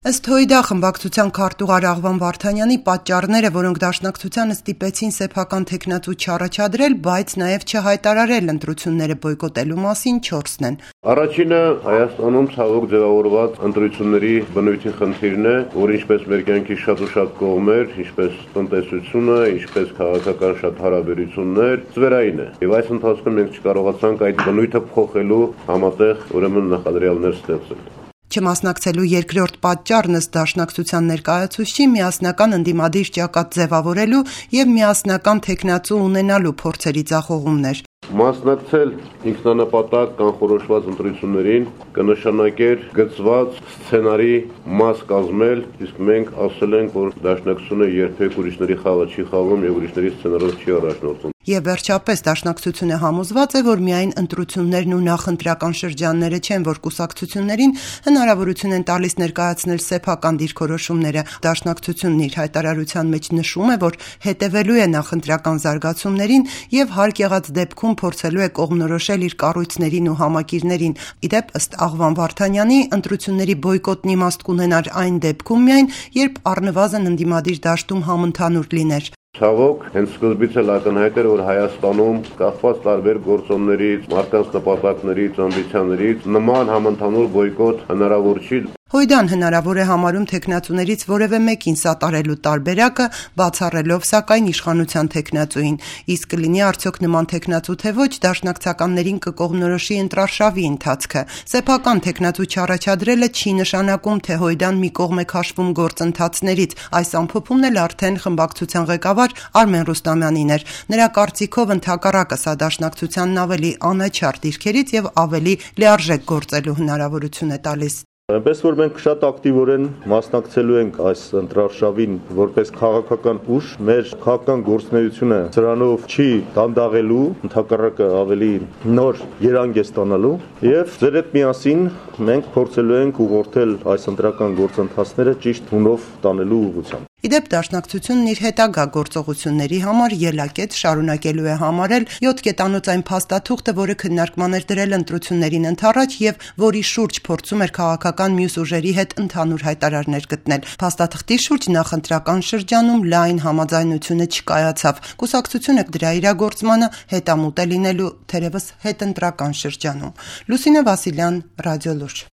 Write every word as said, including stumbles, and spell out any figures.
Ըստ ՀՅԴ խմբակցության քարտուղար Աղվան Վարդանյանի, պատճառները, որոնք դաշնակցությանը ստիպեցին սեփական թեկնածու չառաջադրել, բայց նաև չհայտարարել ընտրությունները բոյկոտելու մասին չորսն են։ Առաջինը Հայաստանում ցավոք ձևավորված ընտրությունների բնույթի խնդիրն է, որ ինչպես մեր կյանքի շատ ու շատ կողմեր, ինչպես տնտեսությունը, ինչպես քաղաքական շատ հարաբերություններ, ծվերային է։ Եվ այս ընթացքում մենք չկարողացանք այդ բնույթը փոխելու համատեղ ուրեմն նախադրյալներ ստեղծել։ Չմասնակցելու երկրորդ պատճառն ըստ դաշնակցության ներկայացուցչի միասնական ընդդիմադիր ճակատ ձևավորելու եւ միասնական թեկնածու ունենալու փորձերի ձախողումն էր։ Մասնակցել ինքնանպատակ կանխորոշված ընտրություններին կնշանակեր գծված սցենարի մաս կազմել, իսկ մենք ասել ենք, որ դաշնակցությունը երբեք ուրիշների խաղը չի խաղում եւ ուրիշների սցենարով չի առաջնորդվում։ Եվ վերջապես դաշնակցությունը համոզված է, որ միայն ընտրություններն ու նախընտրական շրջանները չեն, որ կուսակցություններին հնարավորություն են տալիս ներկայացնել սեփական դիրքորոշումները։ Դաշնակցությունն իր հայտարարության մեջ նշում է, որ հետևելու է նախընտրական զարգացումներին եւ հարկ եղած դեպքում փորձելու է կողմնորոշել իր կառույցներին ու համակիրներին։ Իդեպ ըստ Աղվան Վարդանյանի, ընտրությունների բոյկոտն իմաստ կունենար այն դեպքում միայն, երբ առնվազն ընդդիմադիր դաշտում համընդհանուր լիներ։ Ցավոք, հենց սկզբից էլ ակնհայտ էր, որ Հայաստանում կախված տարբեր գործոններից, մարդկանց նպատակներից, ամբիցիաներից նման համընդհանուր բոյկոտ հնարավոր չի։ ՀՅԴ-ն հնարավոր է համարում թեկնածուներից որևէ մեկին սատարելու տարբերակը, բացառելով սակայն իշխանության թեկնածուին։ Իսկ կլինի արդյոք նման թեկնածու թե ոչ, դաշնակցականներին կկողմնորոշի ընտրարշավի ընթացքը։ Սեփական թեկնածու չառաջադրելը չի նշանակում, թե ՀՅԴ-ն մի կողմ է քաշվում գործընթացներից։ Այս ամփոփումն էլ արդեն խմբակցության ղեկավար Արմեն Ռուստամյանին էր։ Նրա կարծիքով ընդհակառակը սա դաշնակցությանն ավելի անաչառ դիրքերից եւ ավելի լիարժեք գործելու հնարավորություն է տալիս։ Այնպես որ մենք շատ ակտիվորեն մասնակցելու ենք այս ընտրարշավին որպես քաղաքական ուժ, մեր քաղաքական գործունեությունը սրանով չի դանդաղելու, ընդհակառակը ավելի նոր երանգ է ստանալու եւ ձեր հետ միասին մենք փորձելու ենք ուղղորդել այս ընտրական գործընթացները ճիշտ հունով տանելու ուղղությամբ։ Իդեպ դաշնակցությունն իր հետագա գործողությունների համար ելակետ շարունակելու է համարել յոթ կետանոց այն փաստաթուղթը, որը քննարկման էր դրել ընտրություններին ընդառաջ եւ որի շուրջ փորձում էր քաղաքական մյուս ուժերի հետ ընդհանուր հայտարարներ գտնել։ Փաստաթղթի շուրջ նախընտրական շրջանում լայն համաձայնությունը չկայացավ։ Կուսակցությունը դրա իրագործմանը հետամուտ է լինելու թերևս հետընտրական շրջանում։ Լուսինե Վասիլյան, Ռադիոլուրջ։